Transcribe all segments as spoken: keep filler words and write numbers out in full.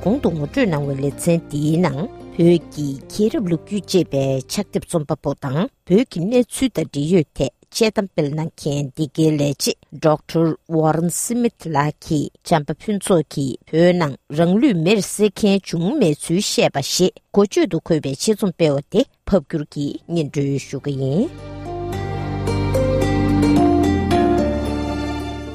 གོང་དུ་ངོ་སྤྲོད་གནང་བའི་ལེ་ཚན་འདིའི་ནང་བོད་ཀྱི་རྒྱལ་རབས་ལོ་རྒྱུས་ཅེས་པའི་ཕྱག་དེབ་རྩོམ་པ་པོ་དང་བོད་ཀྱི་གནས་ཚུལ་དང་འབྲེལ་ཡོད་ཐད་དཔྱད་གཏམ་སྤེལ་གནང་མཁན་འདི་གའི་ལས་བྱེད་Doctor Warren Smith ལགས་ཀྱིས་བྱམས་པ་ཕུན་ཚོགས་ཀྱིས་བོད་ནང་རང་ལུས་མེར་བསྲེགས་མཁན་བྱུང་མེད་ཚུལ་བཤད་པ་ཞེས་འགོ་བརྗོད་དུ་འཁོད་པའི་ཆེད་རྩོམ་སྤེལ་བ་དེ་ཕབ་སྒྱུར་གྱིས་སྙན་སྒྲོན་ཞུ་གི་ཡིན།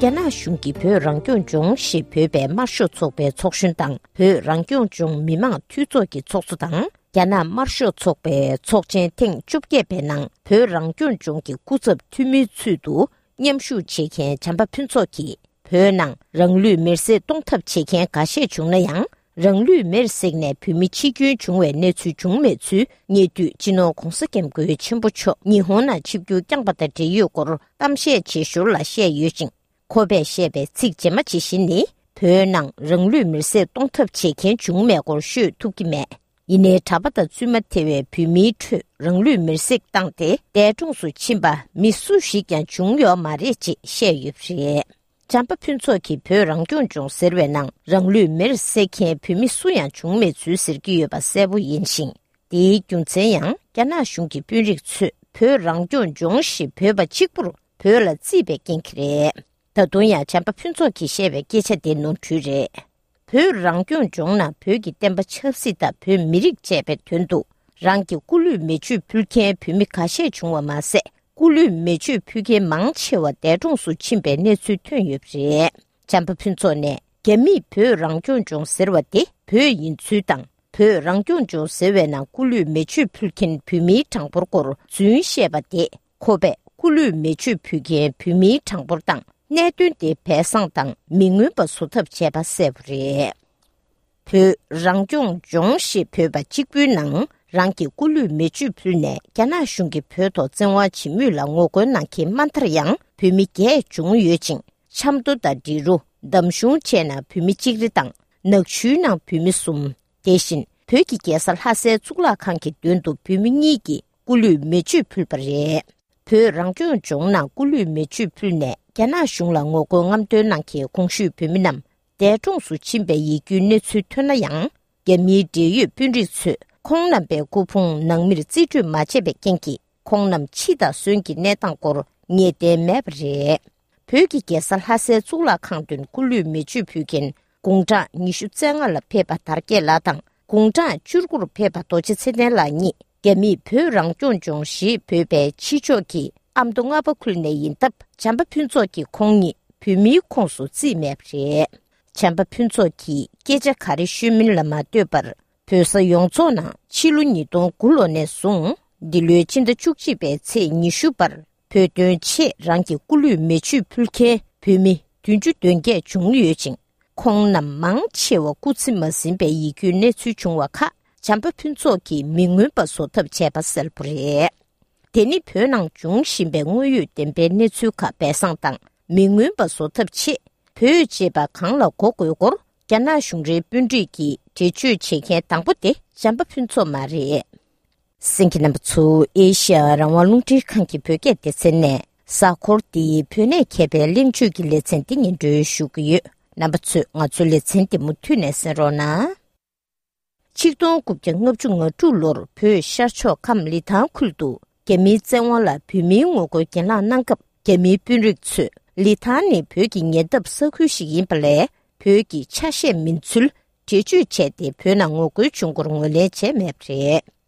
རྒྱ་ནག་གཞུང་གིས་བོད་རང་སྐྱོང་ལྗོངས་ཞེས་འབོད་པའི་དམར་ཤོག་ཚོགས་པའི་ཚོགས་གཞོན་དང་བོད་རང་སྐྱོང་ལྗོངས་མི་དམངས་འཐུས་ཚོགས་ཀྱི་ཚོགས་གཙོ་དང་། རྒྱ་ནག་དམར་ཤོག་ཚོགས་པའི་ཚོགས་ཆེན་ཐེངས་བཅོ་བརྒྱད་པའི་ནང་བོད་རང་སྐྱོང་ལྗོངས་ཀྱི་སྐུ་ཚབ་འཐུས་མིའི་ཚུལ་དུ་མཉམ་ཞུགས་བྱེད་མཁན་བྱམས་པ་ཕུན་ཚོགས་ཀྱིས། བོད་ནང་རང་ལུས་མེར་སྲེག་གཏོང་ཐབས་བྱེད་མཁན་འགའ་ཤས་བྱུང་ན་ཡང་། རང་ལུས་མེར་བསྲེགས་ནས་བོད་མི་འཆི་སྐྱོན་བྱུང་བའི་གནས་ཚུལ་བྱུང་མེད་ཚུལ་ཉེ་དུས་སྤྱི་ནོར་༧གོང་ས་༧སྐྱབས་མགོན་ཆེན་པོ་མཆོག་ཉི་ཧོང་ནང་ཆིབས་བསྒྱུར་བསྐྱངས་པ་དང་འབྲེལ་ཡོད་སྐོར་གཏམ་བཤད་བྱེད་ཞོར་ལ་བཤད་ཡོད་ཅིང་། ཁོ་པས་བཤད་པའི་ཚིག་རྗེས་མ་ཇི་བཞིན་ནི། བོད་ནང་རང་ལུས་མེར་སྲེག་གཏོང་ཐབས་བྱེད་མཁན་བྱུང་མེད་སྐོར་ཤོད་ཐུབ་ཀྱི་མེད། ཡིན་ནའི་གྲྭ་པ་དང་བཙུན་མ་ཐེ་བའི་བོད་མིའི་ཁྲོད་རང་ལུས་མེར་སྲེག་བཏང་སྟེ་འདས་གྲོངས་སུ་ཕྱིན་པ་མི་སུ་ཞིག་ཀྱང་བྱུང་ཡོད་མ་རེད་ཅེས་བཤད་ཡོད་པ་རེད། བྱམས་པ་ཕུན་ཚོགས་ཀྱིས་བོད་རང་སྐྱོང་ལྗོངས་ཟེར་བའི་ནང་རང་ལུས་མེར་བསྲེགས་མཁན་བོད་མི་སུ་ཡང་བྱུང་མེད་ཚུལ་ཟེར་གྱི་ཡོད་པ་གསལ་པོ་ཡིན་ཞིང་། དེའི་རྒྱུ་མཚན་ཡང་རྒྱ་ནག་གཞུང་གི་དཔོན་རིགས་ཚོས་བོད་རང་སྐྱོང་ལྗོངས་ཞེས་འབོད་པ་གཅིག་པུར་བོད་ལ་བརྩིས་པའི་རྐྱེན་གྱིས་རེད། ད་དུང་ཡང་བྱམས་པ་ཕུན་ཚོགས་ཀྱིས་བཤད་པའི་སྐད་ཆ་དེ་ནོར་འཁྲུལ་རེད། བོད་རང་སྐྱོང་ལྗོངས་ནང་བོད་ཀྱི་བསྟན་པ་ཆབ་སྲིད་དང་བོད་མི་རིགས་བཅས་པའི་དོན་དུ་རང་གི་སྐུ་ལུས་མེ་མཆོད་ཕུལ་མཁན་བོད་མི་ཁ་ཤས་བྱུང་བ་མ་ཟད། སྐུ་ལུས་མེ་མཆོད་ཕུལ་མཁན་མང་ཆེ་བ་འདས་གྲོངས་སུ་ཕྱིན་པའི་གནས་ཚུལ་ཐོན་ཡོད་པ་རེད། བྱམས་པ་ཕུན་ཚོགས་ནས་རྒྱ་མིས་བོད་རང་སྐྱོང་ལྗོངས་ཟེར་བ་དེ་བོད་ཡིན་ཚུལ་དང་། བོད་རང་སྐྱོང་ལྗོངས་ཟེར་བའི་ནང་སྐུ་ལུས་མེ་མཆོད་ཕུལ་མཁན་བོད་མིའི་གྲངས་འབོར་སྐོར་རྫུན་བཤད་པ་དེ། ཁོ་པས་སྐུ་ལུས་མེ་མཆོད་ཕུལ་མཁན་བོད་མིའི་གྲངས་འབོར་དང་གནད་དོན་དེ་སྦས་གསང་དང་མི་མངོན་པ་བཟོ་ཐབས་བྱས་པ་གསལ་པོ་རེད། བོད་རང་སྐྱོང་ལྗོངས་ཞེས་འབོད་པ་གཅིག་པུའི་ནང་རང་གི་སྐུ་ལུས་མེ་མཆོད་ཕུལ་ནས་རྒྱ་ནག་གཞུང་གིས་བོད་ཐོག་བཙན་དབང་བྱེད་མུས་ལ་ངོ་རྒོལ་གནང་མཁན་དམའ་མཐར་ཡང་བོད་མི་བརྒྱད་བྱུང་ཡོད་ཅིང་། ཆབ་མདོ་དང་འབྲི་རུ། འདམ་གཞུང་བཅས་ནང་བོད་མི་གཅིག་རེ་དང་། ནག་ཆུའི་ནང་བོད་མི་གསུམ། དེ་བཞིན་བོད་ཀྱི་རྒྱལ་ས་ལྷ་སའི་གཙུག་ལག་ཁང་གི་མདུན་དུ་བོད་མི་གཉིས་ཀྱིས་སྐུ་ལུས་མེ་མཆོད་ཕུལ་བ་རེད། བོད་རང་སྐྱོང་ལྗོངས་ནང་སྐུ་ལུས་མེ་མཆོད་ཕུལ་ནས་རྒྱ་ནག་གཞུང་ལ་ངོ་རྒོལ་རྔམ་སྟོན་གནང་མཁན་གོང་ཞུས་བོད་མི་རྣམས་འདས་གྲོངས་སུ་ཕྱིན་པའི་ཡིད་སྐྱོའི་གནས་ཚུལ་ཐོན་ན་ཡང་། རྒྱ་མིའི་འབྲེལ་ཡོད་དཔོན་རིགས་ཚོས་ཁོང་རྣམ་པའི་སྐུ་ཕུང་ནང་མིར་རྩིས་སྤྲོད་མ་བྱས་པའི་རྐྱེན་གྱིས། ཁོང་རྣམས་འཆི་དང་གསོན་གྱི་གནས་སྟངས་སྐོར་ངེས་གཏན་མེད་པ་རེད། བོད་ཀྱི་རྒྱལ་ས་ལྷ་སའི་གཙུག་ལག་ཁང་མདུན་སྐུ་ལུས་མེ་མཆོད་ཕུལ་མཁན་དགུང་གྲངས་ཉི་ཤུ་རྩ་ལྔ་ལ་ཕེབས་པ་དར་རྒྱས་ལགས་དང་། དགུང་གྲངས་བཅུ་དགུ་རུ་ཕེབས་པ་རྡོ་རྗེ་ཚེ་བརྟན་ལགས་གཉིས་རྒྱ་མིས་བོད་རང་སྐྱོང་ལྗོངས་ཞེས་འབོད་པའི་ཕྱི་ཕྱོགས་ཀྱི་ཨ་མདོ་རྔ་པ་ཁུལ་ནས་ཡིན་སྟབས། བྱམས་པ་ཕུན་ཚོགས་ཀྱིས་ཁོང་ཉིད་བོད་མིའི་ཁོངས་སུ་བརྩིས་མེད་པ་རེད། བྱམས་པ་ཕུན་ཚོགས་ཀྱིས་སྐད་ཆ་ག་རེ་ཤོད་མིན་ལ་མ་ལྟོས་པར། བོད་ས་ཡོངས་རྫོགས་ནང་ཕྱི་ལོ་ཉིས་སྟོང་དགུ་ལོ་ནས་བཟུང་། འདི་ལོའི་ཕྱི་ཟླ་བཅུ་གཅིག་པའི་ཚེས་ཉི་ཤུ་བར། བོད་དོན་ཆེད་རང་གི་སྐུ་ལུས་མེ་མཆོད་ཕུལ་མཁན་བོད་མི་བདུན་ཅུ་དོན་བརྒྱད་བྱུང་ཡོད་ཅིང་། ཁོང་རྣམས་མང་ཆེ་བ་སྐུ་ཚེ་མ་ཟིན་པའི་ཡིད་སྐྱོའི་གནས་ཚུལ་བྱུང་བ་ཁག་བྱམས་པ་ཕུན་ཚོགས་ཀྱིས་མི་མངོན་པ་བཟོ་ཐབས་བྱས་པ་གསལ་པོ་རེད། དེ་ནི་བོད་ནང་འབྱུང་བཞིན་པའི་དངོས་ཡོད་བདེན་པའི་གནས་ཚུལ་ཁག་སྦས་གསང་དང་མི་མངོན་པ་བཟོ་ཐབས་ཆེད། བོད་ཅེས་པ་གང་ལ་གོ་དགོས་སྐོར་རྒྱ་ནག་གཞུང་འབྲེལ་དཔོན་རིགས་ཀྱིས་འགྲེལ་བརྗོད་བྱེད་མཁན་དང་པོ་དེ་བྱམས་པ་ཕུན་ཚོགས་མ་རེད། གསན་མཁན་རྣམ་པ་ཚོ་ཨེ་ཤ་ཡ་རང་དབང་རླུང་འཕྲིན་ཁང་གི་བོད་སྐད་སྡེ་ཚན་ནས་གཟའ་འཁོར་འདིའི་བོད་གནས་མཁས་པའི་གླེང་བརྗོད་ཀྱི་ལེ་ཚན་འདི་སྙན་སྒྲོན་ཞུ་གི་ཡོད། རྣམ་པ་ཚོས་ང་ཚོའི་ལེ་ཚན་འདི་མུ་མཐུད་ནས་གསན་རོགས་གནང་། ཆིག་སྟོང་དགུ་བརྒྱ་ལྔ་བཅུ་ང་དྲུག་ལོར་བོད་ཤར་ཕྱོགས་ཁམས་ལི་ཐང་ཁུལ་དུ་རྒྱ་མིའི་བཙན་དབང་ལ་བོད་མིའི་ངོ་རྒོལ་གྱེན་ལངས་གནང་སྐབས། རྒྱ་མིའི་དཔོན་རིགས་ཚོས་ལི་ཐང་ནི་བོད་ཀྱི་ཉེ་འདབས་ས་ཁུལ་ཞིག་ཡིན་པ་ལས། བོད་ཀྱི་ཆ་ཤས་མིན་ཚུལ་འགྲེལ་བརྗོད་བྱས་ཏེ། བོད་ནང་ངོ་རྒོལ་བྱུང་སྐོར་ངོས་ལེན་བྱས་མེད་པ་རེད།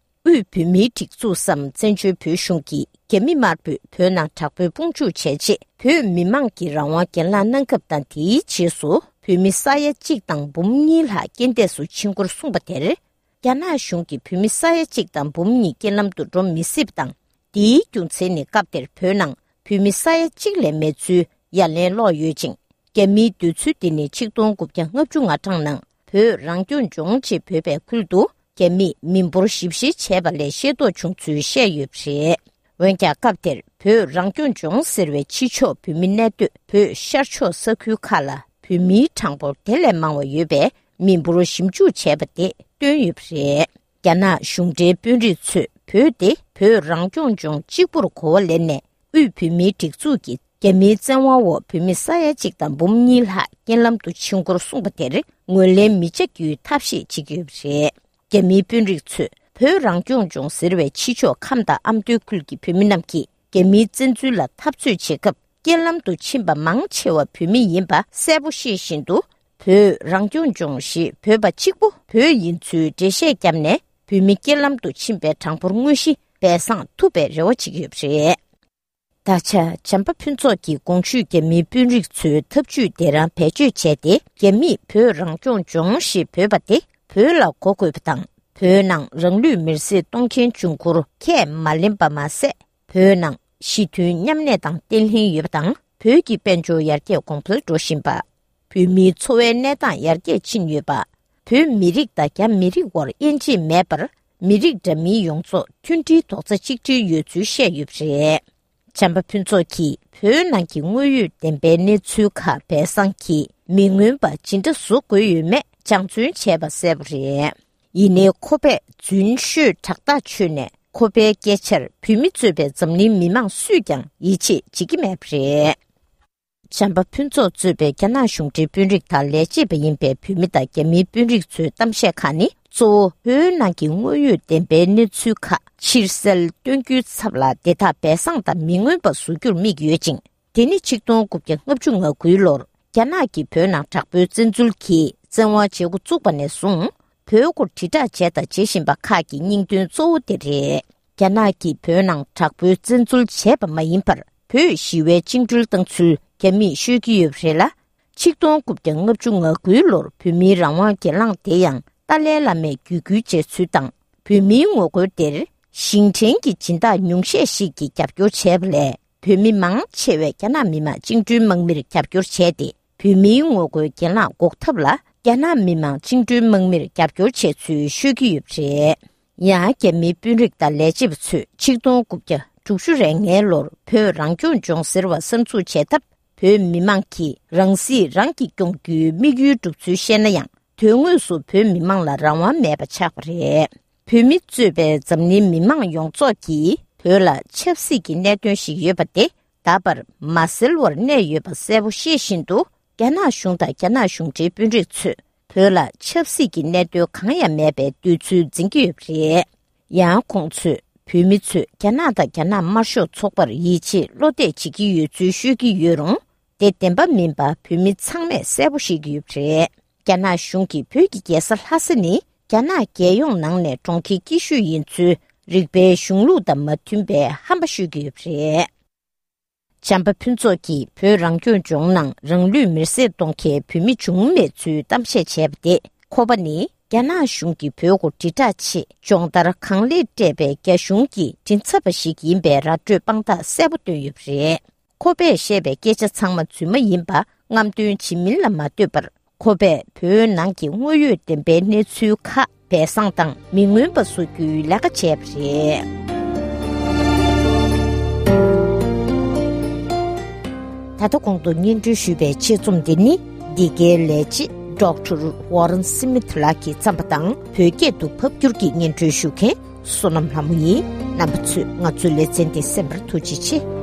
དབུས་བོད་མིའི་སྒྲིག་འཛུགས་སམ་བཙན་བྱོལ་བོད་གཞུང་གིས་རྒྱ་མི་དམར་པོས་བོད་ནང་དྲག་པོའི་དཔུང་འཇུག་བྱས་རྗེས། བོད་མི་མང་གིས་རང་དབང་གྱེན་ལངས་གནང་སྐབས་དང་། དེའི་རྗེས་སུ་བོད་མི་ས་ཡ་གཅིག་དང་འབུམ་གཉིས་ལྷག་རྐྱེན་འདས་སུ་ཕྱིན་སྐོར་གསུངས་པ་དེར། རྒྱ་ནག་གཞུང་གིས་བོད་མི་ས་ཡ་གཅིག་དང་འབུམ་གཉིས་རྐྱེན་ལམ་དུ་འགྲོ་མི་སྲིད་པ་དང་། དེའི་རྒྱུ་མཚན་ནི་སྐབས་དེར་བོད་ནང་བོད་མི་ས་ཡ་གཅིག་ལས་མེད་ཚུལ་ཡ་ལན་སློག་ཡོད་ཅིང་། རྒྱ་མིའི་འདོད་ཚུལ་འདི་ནི་ཆིག་སྟོང་དགུ་བརྒྱ་ལྔ་བཅུ་ང་གྲངས་ནང་བོད་རང་སྐྱོང་ལྗོངས་ཅེས་འབོད་པའི་ཁུལ་དུ་རྒྱ་མིས་མི་འབོར་ཞིབ་བཤེར་བྱས་པ་ལས་ཤེས་རྟོགས་བྱུང་ཚུལ་བཤད་ཡོད་པ་རེད། འོན་ཀྱང་སྐབས་དེར་བོད་རང་སྐྱོང་ལྗོངས་ཟེར་བའི་ཕྱི་ཕྱོགས་བོད་མི་གནས་སྡོད་བོད་ཤར་ཕྱོགས་ས་ཁུལ་ཁག་ལ་བོད་མིའི་གྲངས་འབོར་དེ་ལས་མང་བ་ཡོད་པའི་མི་འབོར་ཞིབ་འཇུག་བྱས་པ་དེ་བཏོན་ཡོད་པ་རེད། རྒྱ་ནག་གཞུང་འབྲེལ་དཔོན་རིགས་ཚོས་བོད་དེ་བོད་རང་སྐྱོང་ལྗོངས་གཅིག་པུར་གོ་བ་ལེན་ནས། དབུས་བོད་མིའི་སྒྲིག་འཛུགས་ཀྱི་ རྒྱ་མིའི་བཙན་དབང་འོག་བོད་མི་ས་ཡ་གཅིག་དང་འབུམ་གཉིས་ལྷག་རྐྱེན་ལམ་དུ་ཕྱིན་སྐོར་གསུངས་པ་དེར་ངོས་ལེན་མི་བྱ་རྒྱུའི་ཐབས་ཤེས་བྱེད་ཀྱི་ཡོད་པ་རེད། རྒྱ་མིའི་དཔོན་རིགས་ཚོས་བོད་རང་སྐྱོང་ལྗོངས་ཟེར་བའི་ཕྱི་ཕྱོགས་ཁམས་དང་ཨ་མདོའི་ཁུལ་གྱི་བོད་མི་རྣམས་ཀྱིས་རྒྱ་མིའི་བཙན་འཛུལ་ལ་འཐབ་རྩོད་བྱེད་སྐབས། རྐྱེན་ལམ་དུ་ཕྱིན་པ་མང་ཆེ་བ་བོད་མི་ཡིན་པ་གསལ་པོ་ཤེས་བཞིན་དུ། བོད་རང་སྐྱོང་ལྗོངས་ཞེས་འབོད་པ་གཅིག་པུ་བོད་ཡིན་ཚུལ་འགྲེལ་བཤད་བརྒྱབ་ནས། བོད་མི་རྐྱེན་ལམ་དུ་ཕྱིན་པའི་གྲངས་འབོར་དངོས་གཞི་སྦས་གསང་ཐུབ་པའི་རེ་བ་བྱེད་ཀྱི་ཡོད་པ་རེད། ད་ཆ་བྱམས་པ་ཕུན་ཚོགས་ཀྱིས་གོང་ཞུས་རྒྱ་མིའི་དཔོན་རིགས་ཚོའི་ཐབས་ཇུས་དེ་རང་བེད་སྤྱོད་བྱས་ཏེ། རྒྱ་མིས་བོད་རང་སྐྱོང་ལྗོངས་ཞེས་འབོད་པ་དེ་བོད་ལ་གོ་དགོས་པ་དང་། བོད་ནང་རང་ལུས་མེར་སྲེག་གཏོང་མཁན་འབྱུང་ཁུངས་ཁས་མ་ལེན་པ་མ་ཟད། བོད་ནང་ཞི་མཐུན་མཉམ་གནས་དང་བརྟན་ལྷིང་ཡོད་པ་དང་། བོད་ཀྱི་དཔལ་འབྱོར་ཡར་རྒྱས་གོང་འཕེལ་འགྲོ་བཞིན་པ། བོད་མིའི་འཚོ་བའི་གནས་སྟངས་ཡར་རྒྱས་ཕྱིན་ཡོད་པ། བོད་མི་རིགས་དང་རྒྱ་མི་རིགས་དབར་དབྱེ་འབྱེད་མེད་པར། མི་རིགས་འདྲ་མིན་ཡོངས་རྫོགས་མཐུན་སྒྲིལ་རྡོག་རྩ་གཅིག་སྒྲིལ་ཡོད་ཚུལ་བཤད་ཡོད་པ་རེད། བྱམས་པ་ཕུན་ཚོགས་ཀྱིས་བོད་ནང་གི་དངོས་ཡོད་བདེན་པའི་གནས་ཚུལ་ཁག་སྦས་གསང་གིས་མི་མངོན་པ་ཇི་འདྲ་བཟོ་དགོས་ཡོད་མེད་སྦྱང་བརྩོན་བྱས་པ་གསལ་པོ་རེད། ཡིན་ནའི་ཁོ་པས་རྫུན་ཤོད་དྲག་ཐག་ཆོད་ནས། ཁོ་པའི་སྐད་ཆར་བོད་མི་གཙོས་པའི་འཛམ་གླིང་མི་མང་སུས་ཀྱང་ཡིད་ཆེས་བྱེད་ཀྱི་མེད་པ་རེད། བྱམས་པ་ཕུན་ཚོགས་གཙོས་པའི་རྒྱ་ནག་གཞུང་འབྲེལ་དཔོན་རིགས་དང་ལས་བྱེད་པ་ཡིན་པའི་བོད་མི་དང་རྒྱ་མིའི་དཔོན་རིགས་ཚོའི་གཏམ་བཤད་ཁག་ནི། གཙོ་བོ་བོད་ནང་གི་དངོས་ཡོད་བདེན་པའི་གནས་ཚུལ་ཁག་ཕྱིར་གསལ་སྟོན་རྒྱུའི་ཚབ་ལ། དེ་དག་སྦས་གསང་དང་མི་མངོན་པ་བཟོ་རྒྱུར་དམིགས་ཡོད་ཅིང་། དེ་ནི་ཆིག་སྟོང་དགུ་བརྒྱ་ལྔ་བཅུ་ང་དགུའི་ལོར་རྒྱ་ནག་གིས་བོད་ནང་དྲག་པོའི་བཙན་འཛུལ་གྱིས་བཙན་དབང་བྱེད་འགོ་བཙུགས་པ་ནས་བཟུང་། བོད་སྐོར་དྲིལ་བསྒྲགས་བྱས་དང་བྱེད་བཞིན་པ་ཁག་གི་སྙིང་དོན་གཙོ་བོ་དེ་རེད། རྒྱ་ནག་གིས་བོད་ནང་དྲག་པོའི་བཙན་འཛུལ་བྱས་པ་མ་ཡིན་པར། བོད་ཞི་བའི་བཅིངས་འགྲོལ་བཏང་ཚུལ་རྒྱ་མིས་ཤོད་ཀྱི་ཡོད་པ་རེད་ལ། ཆིག་སྟོང་དགུ་བརྒྱ་ལྔ་བཅུ་ང་དགུའི་ལོར་བོད་མིའི་རང་དབང་སྒེར་ལངས་དེ་ཡང་ཏཱ་ལའི་བླ་མས་བརྒྱུད་སྐུལ་བྱས་ཚུལ་དང་། བོད་མིའི་ངོ་རྒོལ་དེར་ཞིང་བྲན་གྱི་སྦྱིན་བདག་ཉུང་ཤས་ཤིག་གིས་རྒྱབ་སྐྱོར་བྱས་པ་ལས། བོད་མི་མང་ཆེ་བས་རྒྱ་ནག་མི་དམངས་བཅིངས་འགྲོལ་དམག་མིར་རྒྱབ་སྐྱོར་བྱས་ཏེ། བོད་མིའི་ངོ་རྒོལ་གྱེན་ལངས་འགོག་ཐབས་ལ་རྒྱ་ནག་མི་དམངས་བཅིངས་འགྲོལ་དམག་མིར་རྒྱབ་སྐྱོར་བྱས་ཚུལ་ཤོད་ཀྱི་ཡོད་པ་རེད། ཡང་། རྒྱ་མིའི་དཔོན་རིགས་དང་ལས་བྱེད་པ་ཚོས་ཆིག་སྟོང་དགུ་བརྒྱ་དྲུག་ཅུ་རེ་ལྔའི་ལོར་བོད་རང་སྐྱོང་ལྗོངས་ཟེར་བ་གསར་འཛུགས་བྱས་སྟབས། བོད་མི་དམངས་ཀྱིས་རང་སྲིད་རང་གིས་སྐྱོང་རྒྱུའི་དམིགས་ཡུལ་བསྒྲུབས་ཚུལ་བཤད་ན་ཡང་། དོན་དངོས་སུ་བོད་མི་དམངས་ལ་རང་དབང་མེད་པ་ཆགས་པ་རེད། བོད་མི་གཙོས་པའི་འཛམ་གླིང་མི་དམངས་ཡོངས་རྫོགས་ཀྱིས་བོད་ལ་ཆབ་སྲིད་ཀྱི་གནད་དོན་ཞིག་ཡོད་པ་དེ་ད་བར་མ་སེལ་བར་གནས་ཡོད་པ་གསལ་པོ་ཤེས་བཞིན་དུ། རྒྱ་ནག་གཞུང་དང་རྒྱ་ནག་གཞུང་འབྲེལ་དཔོན་རིགས་ཚོས་བོད་ལ་ཆབ་སྲིད་ཀྱི་གནད་དོན་གང་ཡང་མེད་པའི་འདོད་ཚུལ་འཛིན་གྱི་ཡོད་པ་རེད། ཡང་། ཁོང་ཚོས་བོད་མི་ཚོས་རྒྱ་ནག་དང་རྒྱ་ནག་དམར་ཤོག་ཚོགས་པར་ཡིད་ཆེས་བློ་གཏད་བྱེད་ཀྱི་ཡོད་ཚུལ་ཤོད་ཀྱི་ཡོད་རུང་། དེ་བདེན་པ་མིན་པ་བོད་མི་ཚང་མས་གསལ་པོ་ཤེས་ཀྱི་ཡོད་པ་རེད། རྒྱ་ནག་གཞུང་གིས་བོད་ཀྱི་རྒྱལ་ས་ལྷ་ས་ནི་རྒྱ་ནག་རྒྱལ་ཡོངས་ནང་ནས་གྲོང་ཁྱེར་སྐྱིད་ཤོས་ཡིན་ཚུལ་རིག་པའི་གཞུང་ལུགས་དང་མ་མཐུན་པའི་ཧམ་པ་ཤོད་ཀྱི་ཡོད་པ་རེད། བྱམས་པ་ཕུན་ཚོགས་ཀྱིས་བོད་རང་སྐྱོང་ལྗོངས་ནང་རང་ལུས་མེར་སྲེག་གཏོང་མཁན་བོད་མི་བྱུང་མེད་ཚུལ་གཏམ་བཤད་བྱས་པ་དེ། ཁོ་པ་ནི་རྒྱ་ནག་གཞུང་གིས་བོད་སྐོར་དྲིལ་བསྒྲགས་ཆེད་སྦྱོང་བརྡར་གང་ལེགས་སྤྲད་པའི་རྒྱ་གཞུང་གི་མགྲིན་ཚབ་པ་ཞིག་ཡིན་པའི་ར་སྤྲོད་དཔང་རྟགས་གསལ་པོ་བཏོན་ཡོད་པ་རེད། ཁོ་པས་བཤད་པའི་སྐད་ཆ་ཚང་མ་རྫུན་མ་ཡིན་པ་རྔམ་སྟོན་བྱེད་མིན་ལ་མ་ལྟོས་པར། ཁོ་པས་བོད་ནང་གི་དངོས་ཡོད་བདེན་པའི་གནས་ཚུལ་ཁག་སྦས་གསང་དང་མི་མངོན་པ་བཟོ་རྒྱུའི་ལས་ཀ་བྱས་པ་རེད། ད་ལྟ་གོང་དུ་སྙན་སྒྲོན་ཞུས་པའི་ཆེད་རྩོམ་འདི་ནི། འདི་གའི་ལས་བྱེད་ཌོག་ཊར་ཝོ་རན་སི་མིཐ་ལགས་ཀྱིས་བརྩམས་པ་དང་། བོད་སྐད་དུ་ཕབ་བསྒྱུར་གྱིས་སྙན་སྒྲོན་ཞུ་མཁན་བསོད་ནམས་ལྷ་མོ་ཡིན། རྣམ་པ་ཚོས་ང་ཚོའི་ལེ་ཚན་འདི་གསན་པར་ཐུགས་རྗེ་ཆེ།